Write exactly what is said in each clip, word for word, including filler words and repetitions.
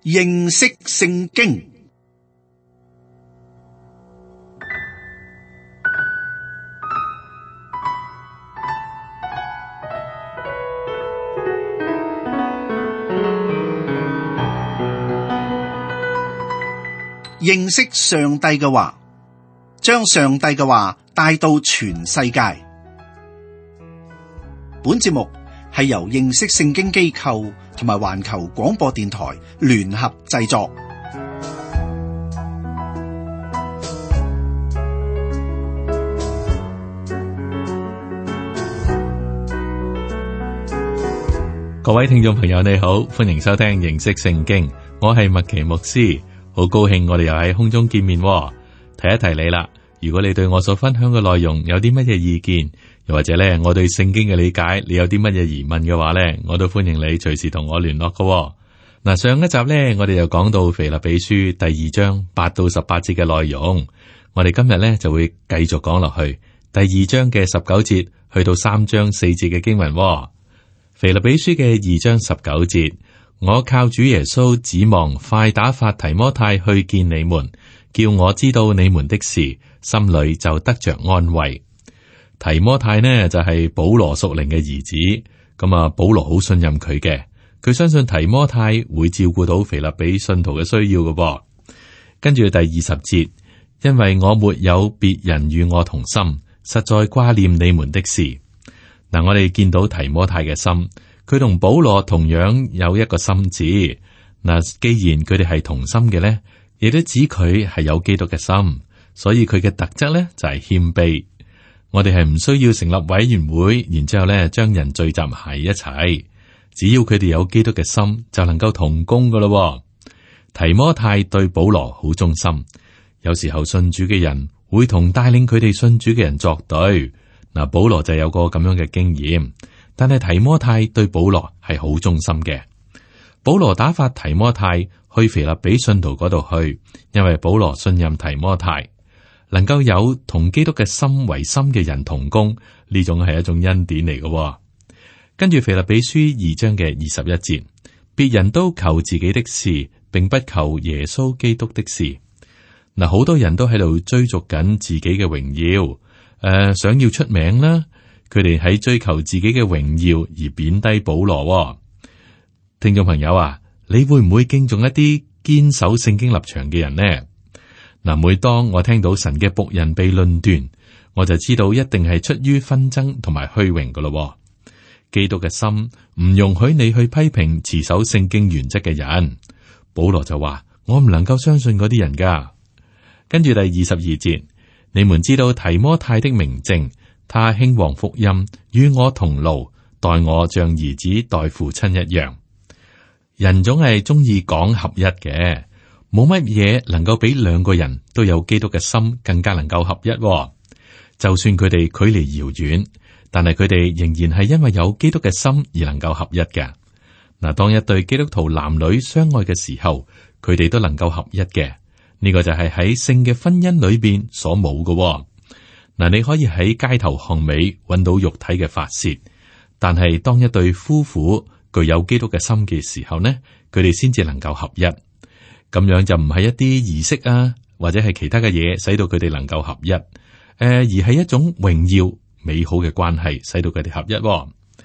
認識聖經。認識上帝嘅話，將上帝嘅話帶到全世界。本節目係由認識聖經機構同埋環球廣播電台聯合製作。各位聽眾朋友，你好，歡迎收聽認識聖經，我係麥奇牧師。好高興我哋又喺空中見面，提一提你啦。如果你對我所分享嘅內容有啲乜嘢意見，又或者咧我對聖經嘅理解，你有啲乜嘢疑問嘅話咧，我都歡迎你隨時同我聯絡嘅。嗱，上一集咧我哋又講到腓立比書第二章八到十八節嘅內容，我哋今日咧就會繼續講落去第二章嘅十九節去到三章四節嘅經文。腓立比書嘅二章十九節。我靠主耶穌指望快打發提摩太去見你們，叫我知道你們的事，心裏就得着安慰。提摩太呢就係保羅屬靈嘅兒子，咁啊保羅好信任佢嘅，佢相信提摩太會照顧到腓立比信徒嘅需要嘅噃。跟住第二十節，因為我沒有別人與我同心，實在掛念你們的事。嗱，我哋見到提摩太嘅心。佢同保羅同樣有一個心志，嗱，既然佢哋係同心嘅咧，亦都指佢係有基督嘅心，所以佢嘅特質咧就係謙卑。我哋係唔需要成立委員會，然之後咧將人聚集喺一齊，只要佢哋有基督嘅心，就能夠同工噶咯。提摩太對保羅好忠心，有時候信主嘅人會同帶領佢哋信主嘅人作對，嗱，保羅就有個咁樣嘅經驗。但係提摩太對保羅係好忠心嘅。保羅打發提摩太去腓立比信徒嗰度去，因為保羅信任提摩太，能夠有同基督嘅心為心嘅人同工，呢種係一種恩典嚟嘅。跟住腓立比書二章嘅二十一節，別人都求自己的事，並不求耶穌基督的事。嗱，好多人都喺度追逐緊自己嘅榮耀，誒、呃，想要出名啦。佢哋喺追求自己嘅榮耀而貶低保羅。聽眾朋友啊，你會唔會敬重一啲堅守聖經立場嘅人呢？嗱，每當我聽到神嘅僕人被論斷，我就知道一定係出於紛爭同埋虛榮噶咯。基督嘅心唔容許你去批評持守聖經原則嘅人。保羅就話：我唔能夠相信嗰啲人噶。跟住第二十二節，你們知道提摩太的明證。他興旺福音，與我同勞，待我像兒子待父親一樣。人總係中意講合一嘅，冇乜嘢能夠比兩個人都有基督嘅心更加能夠合一。就算佢哋距離遙遠，但係佢哋仍然係因為有基督嘅心而能夠合一嘅。嗱，當一對基督徒男女相愛嘅時候，佢哋都能夠合一嘅。呢個就係喺性嘅婚姻裏邊所冇嘅。嗱，你可以喺街頭巷尾揾到肉體嘅發洩，但係當一對夫婦具有基督嘅心嘅時候呢，佢哋先至能夠合一。咁樣就唔係一啲儀式啊，或者係其他嘅嘢使到佢哋能夠合一，誒、呃，而係一種榮耀美好嘅關係使到佢哋合一。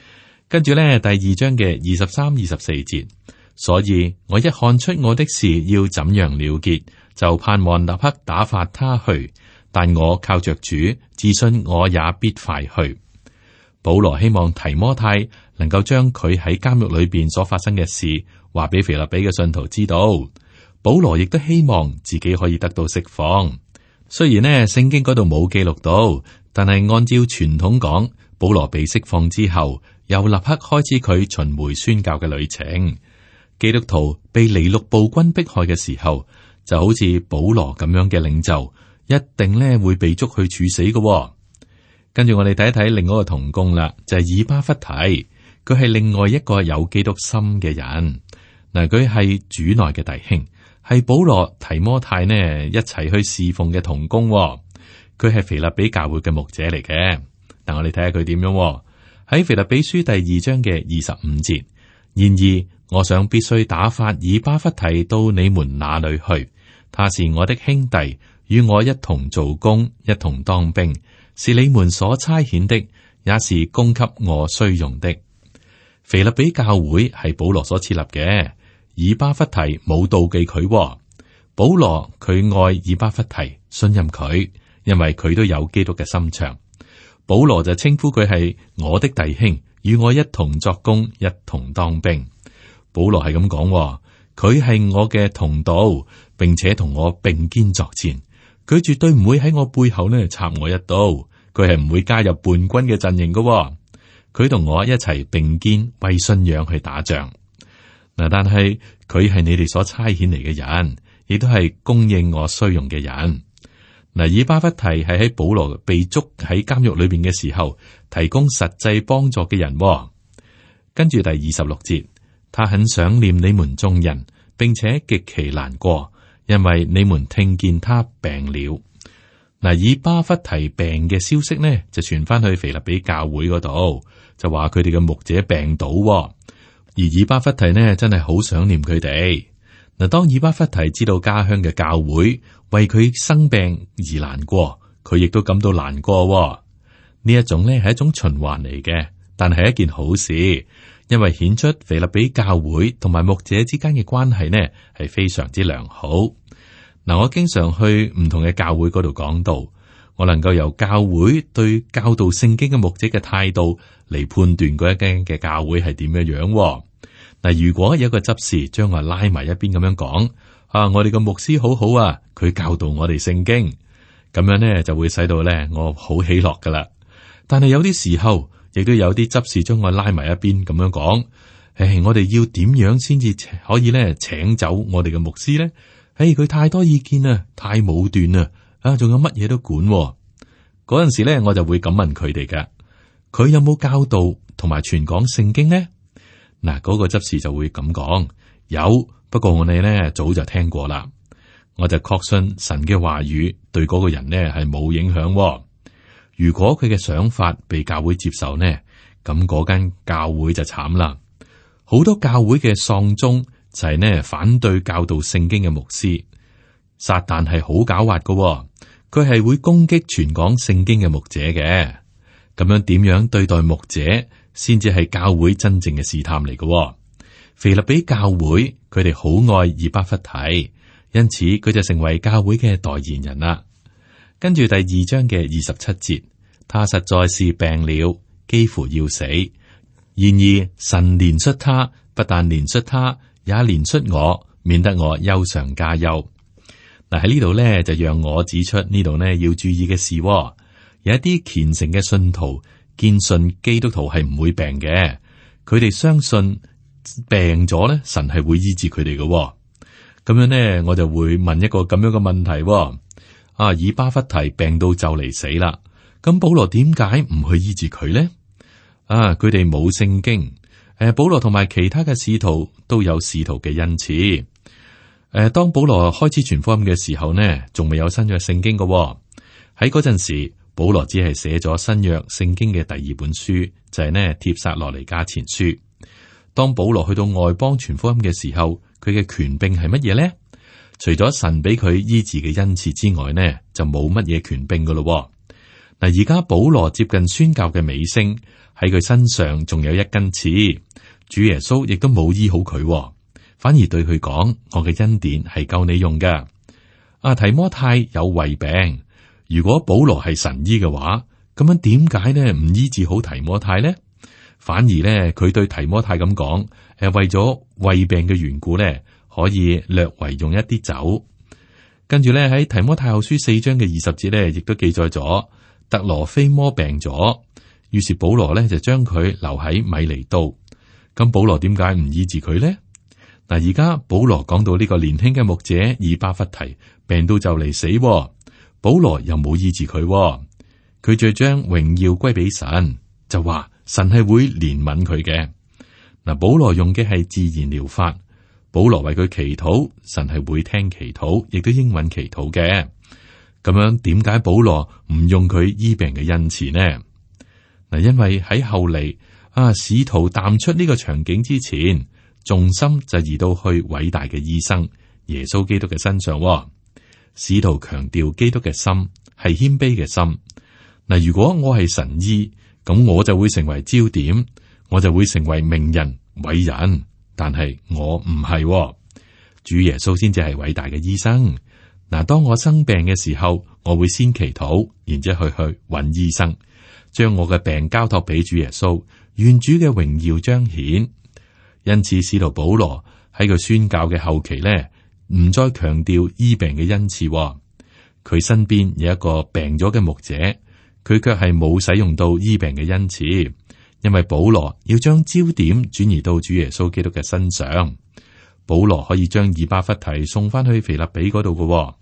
跟住咧，第二章嘅二十三、二十四節，所以我一看出我的事要怎樣了結，就盼望立刻打發他去。但我靠着主，自信我也必快去。保羅希望提摩太能夠將佢喺監獄裏邊所發生嘅事話俾腓立比嘅信徒知道。保羅亦都希望自己可以得到釋放。雖然呢聖經嗰度冇記錄到，但係按照傳統講，保羅被釋放之後，又立刻開始佢巡迴宣教嘅旅程。基督徒被尼祿暴君迫害嘅時候，就好似保羅咁樣嘅領袖。一定咧會被捉去處死嘅、哦。跟住我哋睇一睇另外一個同工啦，就係、是、以巴弗提，佢係另外一個有基督心嘅人。嗱，佢係主內嘅弟兄，係保羅提摩太呢一齊去侍奉嘅同工、哦。佢係腓立比教會嘅牧者嚟嘅。但我哋睇下佢點樣喺、哦、腓立比書第二章嘅二十五節，然而，我想必須打發以巴弗提到你們那裏去，他是我的兄弟，與我一同做工，一同當兵，是你們所差遣的，也是供給我需用的。腓立比教會係保羅所設立嘅，以巴弗提冇妒忌佢，保羅佢愛以巴弗提，信任佢，因為佢都有基督嘅心腸。保羅就稱呼佢係我的弟兄，與我一同作工，一同當兵。保羅係咁講，佢係我嘅同道，並且同我並肩作戰。佢絕對唔會喺我背後呢插我一刀，佢係唔會加入叛軍嘅陣營嘅。佢同我一齊並肩為信仰去打仗嗱，但係佢係你哋所差遣嚟嘅人，亦都係供應我需用嘅人嗱。以巴弗提係喺保羅被捉喺監獄裏邊嘅時候提供實際幫助嘅人。跟住第二十六節，他很想念你們眾人，並且極其難過，因為你們聽見他病了。嗱，以巴弗提病嘅消息呢，就傳翻去腓立比教會嗰度，就話佢哋嘅牧者病倒，而以巴弗提呢，真係好想念佢哋。嗱，當以巴弗提知道家鄉嘅教會為佢生病而難過，佢亦都感到難過。呢一種呢係一種循環嚟嘅，但係一件好事，因為顯出腓立比教會同埋牧者之間嘅關係呢係非常之良好。嗱，我經常去唔同嘅教會嗰度講道，我能夠由教會對教導聖經嘅牧者嘅態度嚟判斷嗰一間嘅教會係點樣樣。嗱，如果有一個執事將我拉埋一邊咁樣講，啊，我哋個牧師好好啊，佢教導我哋聖經，咁樣呢就會使到咧我好喜樂噶啦。但係有啲時候，亦都有啲執事將我拉埋一邊咁樣講，誒，我哋要點樣先至可以咧請走我哋嘅牧師咧？誒，佢太多意見啦，太武斷啦，啊，仲有乜嘢都管。嗰陣時咧，我就會咁問佢哋噶，佢有冇教導同埋傳講聖經呢？嗱，嗰個執事就會咁講，有，不過我哋咧早就聽過啦。我就確信神嘅話語對嗰個人呢係冇影響。如果佢嘅想法被教會接受呢，咁嗰間教會就慘啦。好多教會嘅喪鐘就係呢反對教導聖經嘅牧師。撒旦係好狡猾嘅，佢係會攻擊傳講聖經嘅牧者嘅。咁樣點樣對待牧者，先至係教會真正嘅試探嚟嘅。腓立比教會佢哋好愛以巴弗提，因此佢就成為教會嘅代言人啦。跟住第二章嘅二十七節，他實在是病了，幾乎要死。然而神憐恤他，不但憐恤他，也憐恤我，免得我憂上加憂。嗱，喺呢度咧，就讓我指出呢度呢要注意嘅事。有一啲虔誠嘅信徒堅信基督徒係唔會病嘅，佢哋相信病咗咧，神係會醫治佢哋嘅。咁樣呢，我就會問一個咁樣嘅問題：啊，以巴弗提病到就嚟死啦，咁保羅點解唔去醫治佢呢？啊，佢哋冇聖經。誒，保羅同埋其他嘅使徒都有使徒嘅恩賜。誒，當保羅開始傳福音嘅時候呢，仲未有新約聖經嘅。喺嗰陣時，保羅只係寫咗新約聖經嘅第二本書，就係呢帖撒羅尼迦前書。當保羅去到外邦傳福音嘅時候，佢嘅權柄係乜嘢呢？除咗神俾佢醫治嘅恩賜之外呢，就冇乜嘢權柄噶咯。嗱，而家保羅接近宣教嘅尾聲，喺佢身上仲有一根刺，主耶穌亦都冇醫好佢，反而對佢講：我嘅恩典係夠你用噶。阿提摩太有胃病，如果保羅係神醫嘅話，咁樣點解呢唔醫治好提摩太呢？反而呢，佢對提摩太咁講：誒，為咗胃病嘅緣故呢，可以略為用一啲酒。跟住咧喺提摩太後書四章嘅二十節咧，亦都記載咗特羅菲摩病咗，於是保羅咧就將佢留喺米尼都。咁保羅點解唔醫治佢呢？嗱，而家保羅講到呢個年輕嘅牧者以巴弗提病到就嚟死，保羅又冇醫治佢，佢就將榮耀歸俾神，就話神係會憐憫佢嘅。嗱，保羅用嘅係自然療法。保羅為佢祈禱，神係會聽祈禱，亦都應允祈禱嘅。咁樣點解保羅唔用佢醫病嘅恩賜呢？嗱，因為喺後嚟啊，使徒淡出呢個場景之前，重心就移到去偉大嘅醫生耶穌基督嘅身上。使徒強調基督嘅心係謙卑嘅心。嗱，如果我係神醫，咁我就會成為焦點，我就會成為名人偉人。但係我唔係，主耶穌先至係偉大嘅醫生。嗱，當我生病嘅時候，我會先祈禱，然之後去去揾醫生，將我嘅病交託俾主耶穌，願主嘅榮耀彰顯。因此，使徒保羅喺佢宣教嘅後期咧，唔再強調醫病嘅恩賜。佢身邊有一個病咗嘅牧者，佢卻係冇使用到醫病嘅恩賜，因為保羅要將焦點轉移到主耶穌基督嘅身上。保羅可以將以巴弗提送翻去腓立比嗰度嘅。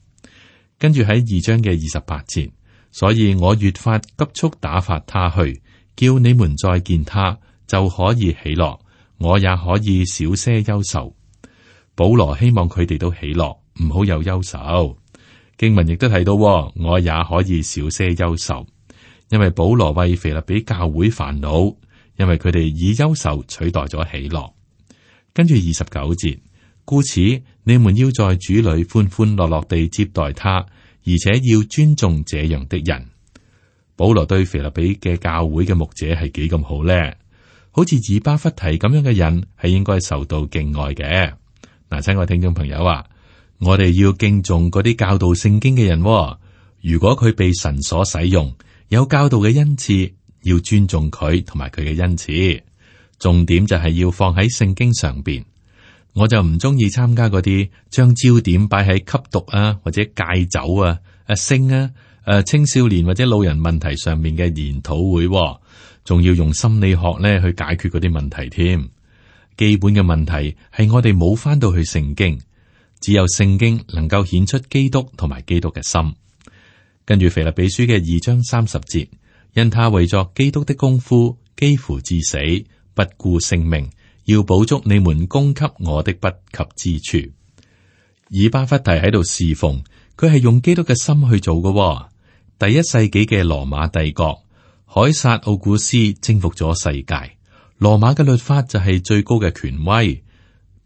跟住喺二章嘅二十八節，所以我越發急速打發他去，叫你們再見他就可以喜樂，我也可以少些憂愁。保羅希望佢哋都喜樂，唔好有憂愁。經文亦都提到，我也可以少些憂愁，因為保羅為腓立比教會煩惱，因為佢哋以憂愁取代咗喜樂。跟住二十九節，故此你們要在主裏歡歡樂樂地接待他，而且要尊重這樣的人。保羅對腓立比嘅教會嘅牧者係幾咁好呢？好似以巴弗提咁樣嘅人係應該受到敬愛嘅。嗱，親愛聽眾朋友啊，我哋要敬重嗰啲教導聖經嘅人。如果佢被神所使用，有教導嘅恩賜，要尊重佢同埋佢嘅恩賜。重點就係要放喺聖經上邊。我就唔中意參加嗰啲將焦點擺喺吸毒啊，或者戒酒啊、誒性啊、誒青少年或者老人問題上面嘅研討會，仲要用心理學咧去解決嗰啲問題添。基本嘅問題係我哋冇翻到去聖經，只有聖經能夠顯出基督同埋基督嘅心。跟住腓立比書嘅二章三十節，因他為作基督的功夫，幾乎至死，不顧性命，要補足你們供給我的不及之處。以巴弗提喺度侍奉，佢係用基督嘅心去做嘅。第一世紀嘅羅馬帝國，凱撒奧古斯征服咗世界，羅馬嘅律法就係最高嘅權威，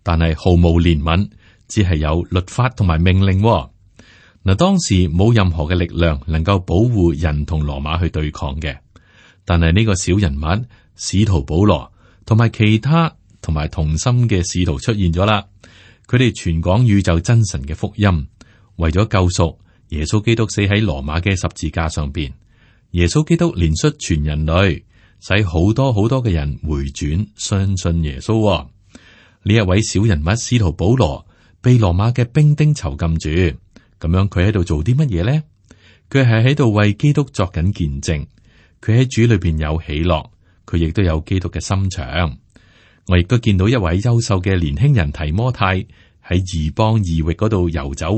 但係毫無憐憫，只係有律法同埋命令。嗱，當時冇任何嘅力量能夠保護人同羅馬去對抗嘅，但係呢個小人物使徒保羅同埋其他同埋同心嘅使徒出現咗啦。佢哋傳講宇宙真神嘅福音，為咗救贖，耶穌基督死喺羅馬嘅十字架上邊。耶穌基督憐恤全人類，使好多好多嘅人回轉相信耶穌。呢一位小人物使徒保羅被羅馬嘅兵丁囚禁住，咁樣佢喺度做啲乜嘢呢？佢係喺度為基督作緊見證，佢喺主裏邊有喜樂，佢亦都有基督嘅心腸。我亦都見到一位優秀嘅年輕人提摩太喺異邦異域嗰度遊走。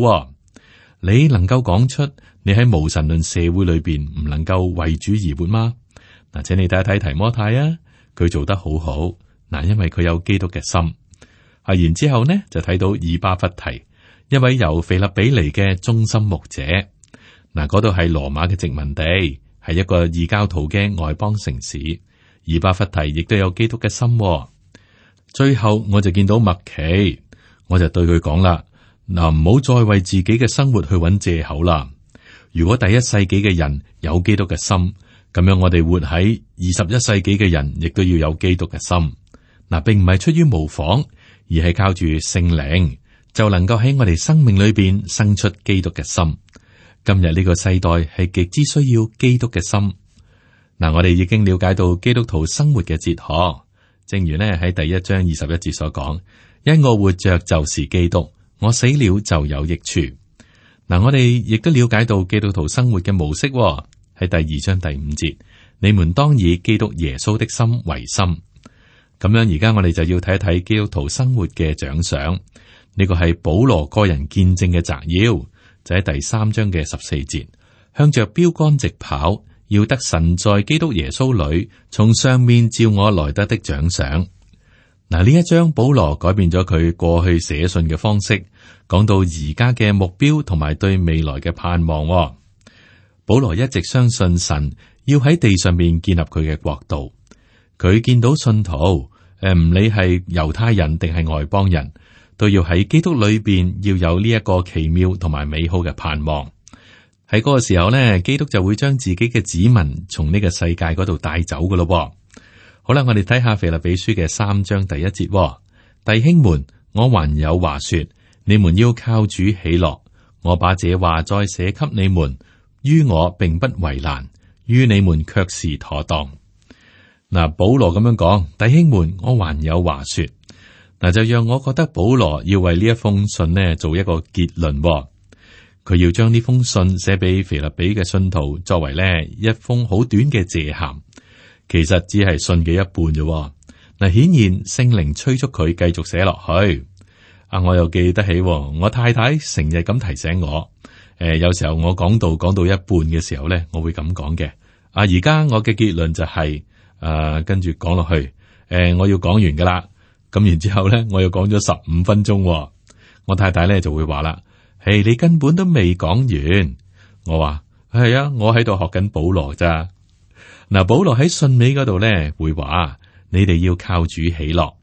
你能夠講出你喺無神論社會裏邊唔能夠為主而活嗎？嗱，請你睇一睇提摩太啊，佢做得好好嗱，因為佢有基督嘅心。啊，然之後呢就睇到以巴弗提，一位由腓立比嚟嘅忠心牧者。嗱，嗰度係羅馬嘅殖民地，係一個異教徒嘅外邦城市。以巴弗提亦都有基督嘅心。最後我就見到麥奇，我就對佢講啦，嗱，唔好再為自己嘅生活去揾借口啦。如果第一世紀嘅人有基督嘅心，咁樣我哋活喺二十一世紀嘅人亦都要有基督嘅心。嗱，並唔係出於模仿，而係靠住聖靈，就能夠喺我哋生命裏邊生出基督嘅心。今日呢個世代係極之需要基督嘅心。嗱，我哋已經了解到基督徒生活嘅哲學。正如呢喺第一章二十一節所講，因我活着就是基督，我死了就有益處。嗱，我哋亦都了解到基督徒生活嘅模式喎。喺第二章第五節，你們當以基督耶穌的心為心。咁樣而家我哋就要睇一睇基督徒生活嘅獎賞。呢個係保羅個人見證嘅摘要，就喺第三章嘅十四節，向着標杆直跑，要得神在基督耶穌裏從上面照我來得的獎賞。嗱，呢一章保羅改變咗佢過去寫信嘅方式，講到而家嘅目標同埋對未來嘅盼望。保羅一直相信神要喺地上面建立佢嘅國度，佢見到信徒，誒唔理係猶太人定係外邦人，都要喺基督裏邊要有呢一個奇妙同埋美好嘅盼望。喺嗰個時候呢，基督就會將自己嘅子民從呢個世界嗰度帶走噶咯。好啦，我哋睇下腓立比書嘅三章第一節，弟兄們，我還有話說，你們要靠主喜樂。我把這話再寫給你們，於我並不為難，於你們卻是妥當。嗱，保羅咁樣講，弟兄們，我還有話說，嗱就讓我覺得保羅要為呢一封信呢做一個結論，佢要將呢封信寫俾腓立比嘅信徒，作為呢一封好短嘅謝函，其實只係信嘅一半啫。嗱，顯然聖靈催促佢繼續寫落去。啊，我又記得起，我太太成日咁提醒我，誒、呃，有時候我講到講到一半嘅時候咧，我會咁講嘅。啊，而家我嘅結論就係、是，誒、呃，跟住講落去，誒、呃，我要講完噶啦。咁然之後咧，我又講咗十五分鐘，我太太咧就會話啦，誒，你根本都未講完。我話係啊，我喺度學緊保羅咋。嗱，保羅喺信尾嗰度咧會話，你哋要靠主喜樂。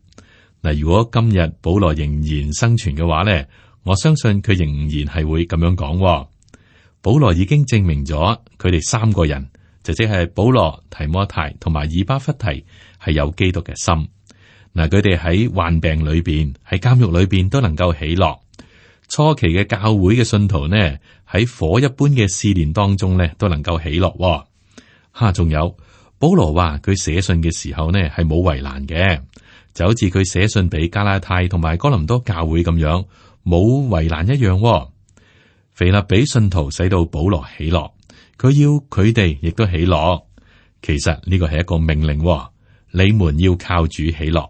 嗱，如果今日保羅仍然生存嘅話咧，我相信佢仍然係會咁樣講。保羅已經證明咗佢哋三個人，就即係保羅、提摩太同埋以巴弗提係有基督嘅心。嗱，佢哋喺患病裏邊、喺監獄裏邊都能夠喜樂。初期嘅教會嘅信徒呢，喺火一般嘅試煉當中呢，都能夠喜樂。吓，仲有保羅話佢寫信嘅時候呢，係冇為難嘅。就好似佢寫信俾加拉太同埋哥林多教會咁樣，冇為難一樣。腓立比信徒使到保羅喜樂，佢要佢哋亦都喜樂。其實呢個係一個命令，你們要靠主喜樂。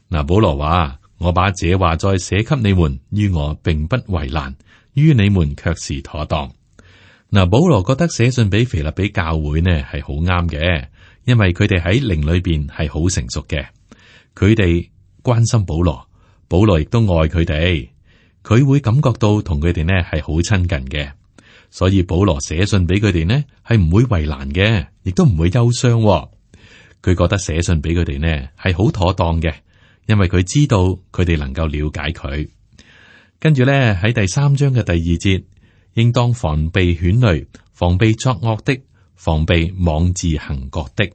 嗱，保羅話：我把這話再寫給你們，於我並不為難，於你們卻是妥當。嗱，保羅覺得寫信俾腓立比教會呢係好啱嘅，因為佢哋喺靈裏邊係好成熟嘅。佢哋關心保羅，保羅亦都愛佢哋，佢會感覺到同佢哋呢係好親近嘅，所以保羅寫信俾佢哋呢係唔會為難嘅，亦都唔會憂傷。佢覺得寫信俾佢哋呢係好妥當嘅，因為佢知道佢哋能夠了解佢。跟住咧喺第三章嘅第二節，應當防備犬類，防備作惡的，防備妄自行國的。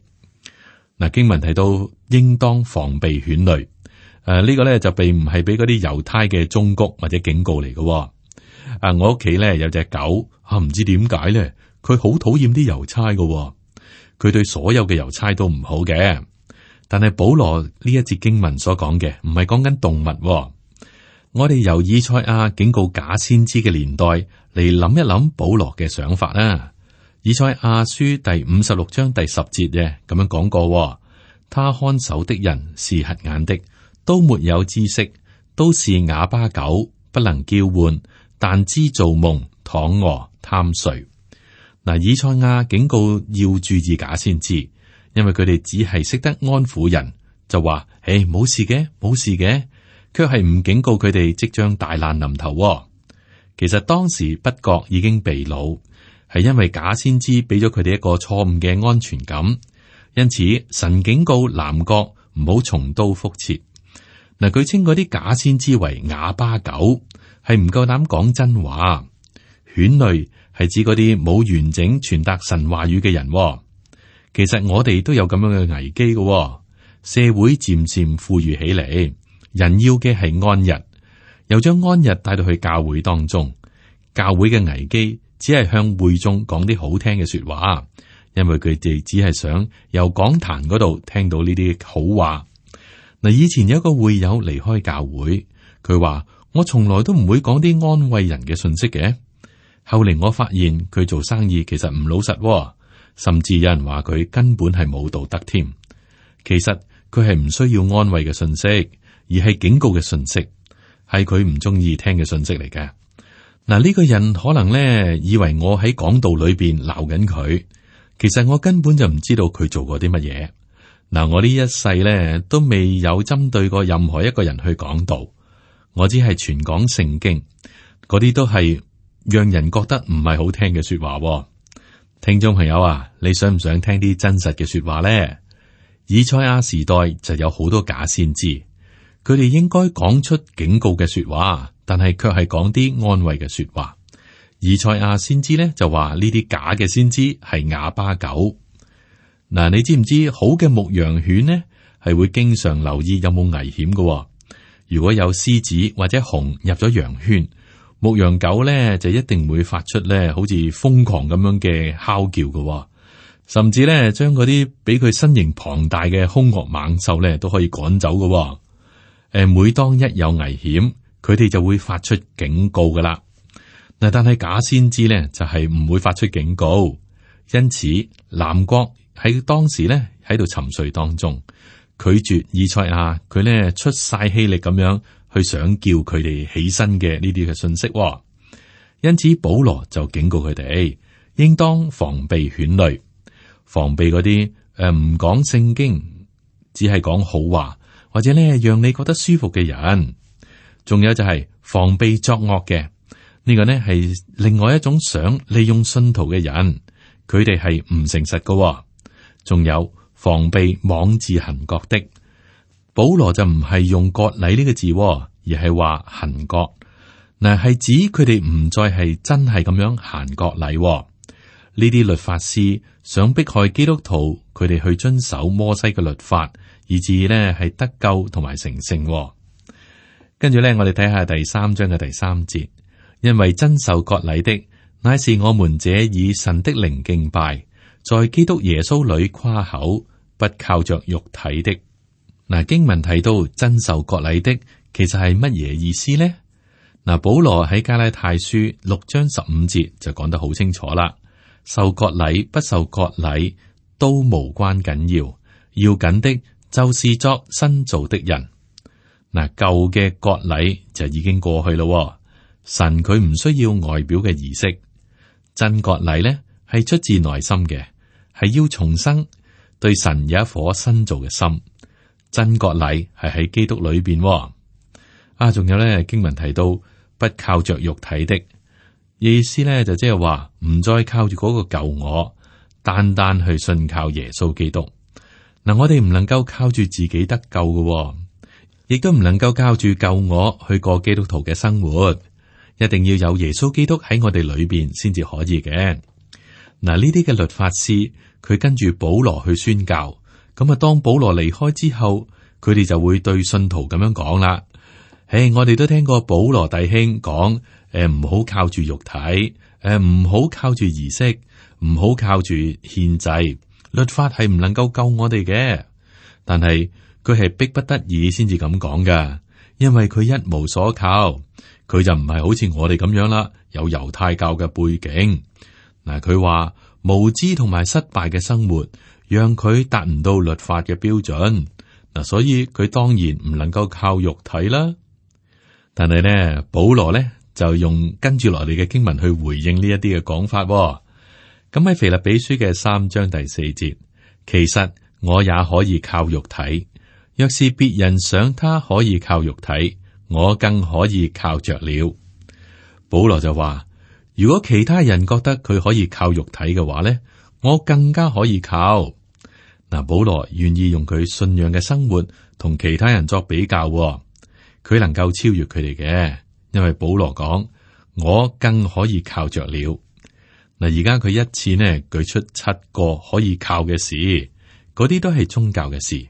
嗱，經文提到應當防備犬類，誒、啊，這個、呢個咧就並唔係俾嗰啲猶太嘅忠告或者警告嚟嘅。啊，我屋企咧有隻狗，啊，唔知點解咧，佢好討厭啲郵差嘅，佢對所有嘅郵差都唔好嘅。但係保羅呢一節經文所講嘅唔係講緊動物。我哋由以賽亞警告假先知嘅年代嚟諗一諗保羅嘅想法啦。以賽亞書第五十六章第十節嘅咁樣講過，他看守的人是瞎眼的，都沒有知識，都是啞巴狗，不能叫喚，但知做夢、躺臥、貪睡。嗱，以賽亞警告要注意假先知，因為佢哋只係識得安撫人，就話誒冇事嘅，冇事嘅，卻係唔警告佢哋即將大難臨頭。其實當時北國已經被擄。係因為假先知俾咗佢哋一個錯誤嘅安全感，因此神警告南國唔好重蹈覆轍。嗱，佢稱嗰啲假先知為啞巴狗，係唔夠膽講真話。犬類係指嗰啲冇完整傳達神話語嘅人。其實我哋都有咁樣嘅危機嘅，社會漸漸富裕起嚟，人要嘅係安逸，又將安逸帶到去教會當中，教會嘅危機。只係向會眾講啲好聽嘅說話，因為佢哋只係想由講壇嗰度聽到呢啲好話。嗱，以前有一個會友離開教會，佢話我從來都唔會講啲安慰人嘅信息嘅。後嚟我發現佢做生意其實唔老實，甚至有人話佢根本係冇道德添。其實佢係唔需要安慰嘅信息，而係警告嘅信息，係佢唔中意聽嘅信息嚟嘅。嗱，呢個人可能咧以為我喺講道裏邊鬧緊佢，其實我根本就唔知道佢做過啲乜嘢。嗱，我呢一世咧都未有針對過任何一個人去講道，我只係傳講聖經，嗰啲都係讓人覺得唔係好聽嘅說話。聽眾朋友啊，你想唔想聽啲真實嘅說話咧？以賽亞時代就有好多假先知，佢哋應該講出警告嘅說話，但係卻係講啲安慰嘅說話。以賽亞先知咧就話呢啲假嘅先知係啞巴狗。嗱，你知唔知好嘅牧羊犬呢係會經常留意有冇危險嘅？如果有獅子或者熊入咗羊圈，牧羊狗咧就一定會發出咧好似瘋狂咁樣嘅嚎叫嘅，甚至咧將嗰啲比佢身形龐大嘅兇惡猛獸咧都可以趕走嘅。誒，每當一有危險，佢哋就會發出警告噶啦。嗱，但係假先知咧就係唔會發出警告，因此南國喺當時咧喺度沉睡當中，拒絕以賽亞佢咧出晒氣力咁樣去想叫佢哋起身嘅呢啲嘅信息。因此保羅就警告佢哋，應當防備犬類，防備嗰啲誒唔講聖經，只係講好話或者咧讓你覺得舒服嘅人，仲有就係防備作惡嘅。呢個呢係另外一種想利用信徒嘅人，佢哋係唔誠實㗎。仲有防備妄自行割的，保羅就唔係用割禮呢個字，而係話行割。嗱，係指佢哋唔再係真係咁樣行割禮。呢啲律法師想迫害基督徒，佢哋去遵守摩西嘅律法，以致呢係得救同埋成聖。跟住呢，我哋睇下第三章嘅第三節。因為真受割禮的，乃是我們這以神的靈敬拜，在基督耶穌裏誇口，不靠着肉體的。嗱，經文提到真受割禮的，其實係乜嘢意思呢？嗱，保羅喺加拉太書六章十五節就講得好清楚啦。受割禮不受割禮都無關緊要，要緊的就是作新造的人。嗱，舊嘅割禮就已經過去咯。神佢唔需要外表嘅儀式，真割禮咧係出自內心嘅，係要重生，對神有一顆新造嘅心。真割禮係喺基督裏邊。啊，仲有咧經文提到不靠着肉體的意思咧，就即係話唔再靠住嗰個舊我，單單去信靠耶穌基督。嗱，我哋唔能夠靠住自己得救嘅，亦都唔能夠靠住舊我去過基督徒嘅生活。一定要有耶穌基督喺我哋裏邊先至可以嘅。嗱，呢啲嘅律法師佢跟住保羅去宣教，咁啊，當保羅離開之後，佢哋就會對信徒咁樣講啦。誒，我哋都聽過保羅弟兄講，誒，唔好靠住肉體，誒，唔好靠住儀式，唔好靠住獻祭，律法係唔能夠救我哋嘅。但係佢係逼不得已先至咁講噶，因為佢一無所靠。佢就唔係好似我哋咁樣啦，有猶太教嘅背景。嗱，佢話無知同埋失敗嘅生活，讓佢達唔到律法嘅標準。嗱，所以佢當然唔能夠靠肉體啦。但係咧，保羅咧就用跟住落嚟嘅經文去回應呢一啲嘅講法。咁喺腓立比書嘅三章第四節，其實我也可以靠肉體，若是別人想他可以靠肉體，我更可以靠着了。保羅就話，如果其他人覺得佢可以靠肉體嘅話咧，我更加可以靠。嗱，保羅願意用佢信仰嘅生活同其他人作比較，佢能夠超越佢哋嘅，因為保羅講，我更可以靠着了。嗱，而家佢一次呢舉出七個可以靠嘅事，嗰啲都係宗教嘅事。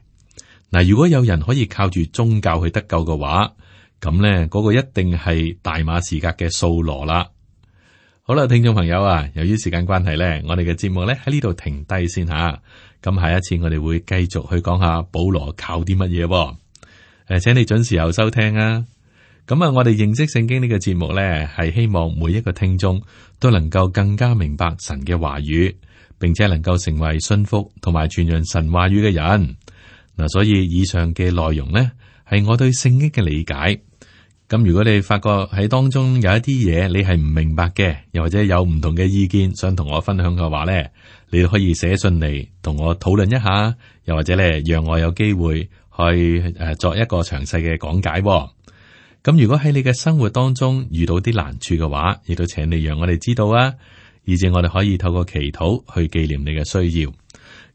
嗱，如果有人可以靠住宗教去得救嘅話，咁咧，嗰個一定係大馬士革嘅掃羅啦。好啦，聽眾朋友啊，由於時間關係咧，我哋嘅節目咧喺呢度停低先吓。咁下一次我哋會繼續去講下保羅靠啲乜嘢。誒，請你準時候收聽啊。咁啊，我哋認識聖經呢個節目咧，係希望每一個聽眾都能夠更加明白神嘅話語，並且能夠成為信服同埋傳揚神話語嘅人。嗱，所以以上嘅內容呢，係我對聖經嘅理解。咁如果你發覺喺當中有一啲嘢你係唔明白嘅，又或者有唔同嘅意見想同我分享嘅話咧，你都可以寫信嚟同我討論一下，又或者咧讓我有機會去誒作一個詳細嘅講解。咁如果喺你嘅生活當中遇到啲難處嘅話，亦都請你讓我哋知道啊，以至我哋可以透過祈禱去紀念你嘅需要。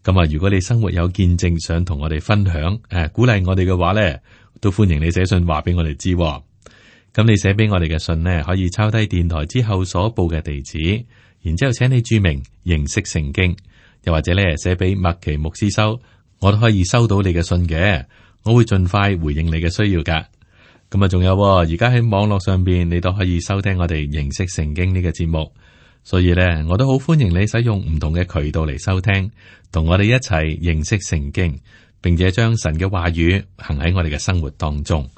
咁啊，如果你生活有見證想同我哋分享，誒，鼓勵我哋嘅話咧，都歡迎你寫信話俾我哋知。咁你寫俾我哋嘅信呢，可以抄低電台之後所報嘅地址，然之後請你注明認識聖經，又或者咧寫俾麥奇牧師收，我都可以收到你嘅信嘅，我會盡快回應你嘅需要噶。咁啊，仲有而家喺網絡上邊，你都可以收聽我哋認識聖經呢個節目。所以咧，我都好歡迎你使用唔同嘅渠道嚟收聽，同我哋一齊認識聖經，並且將神嘅話語行喺我哋嘅生活當中。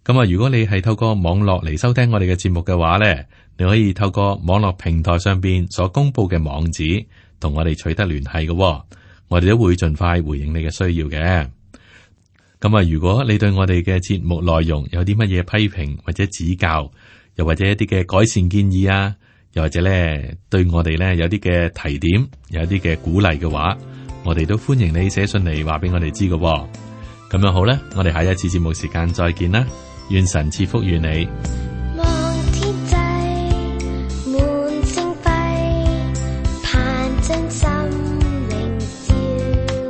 咁啊，如果你係透過網絡嚟收聽我哋嘅節目嘅話咧，你可以透過網絡平台上邊所公布嘅網址，同我哋取得聯繫嘅。我哋都會盡快回應你嘅需要嘅。咁啊，如果你對我哋嘅節目內容有啲乜嘢批評或者指教，又或者一啲嘅改善建議啊，又或者咧，對我哋咧有啲嘅提點，有啲嘅鼓勵嘅話，我哋都歡迎你寫信嚟話俾我哋知嘅。咁樣好啦，我哋下一次節目時間再見啦，願神賜福於你。望天際滿星輝，盼將心靈照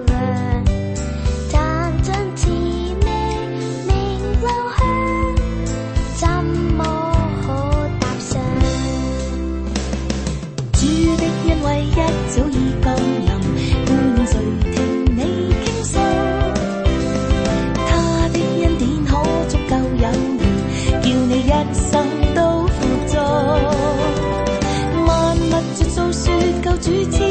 亮，但將自命名留香，怎麼可踏上？主的恩惠一早已降臨，伴隨聽你傾訴，他的恩典可足夠有緣，叫你一生都富足。萬物絕訴說救主。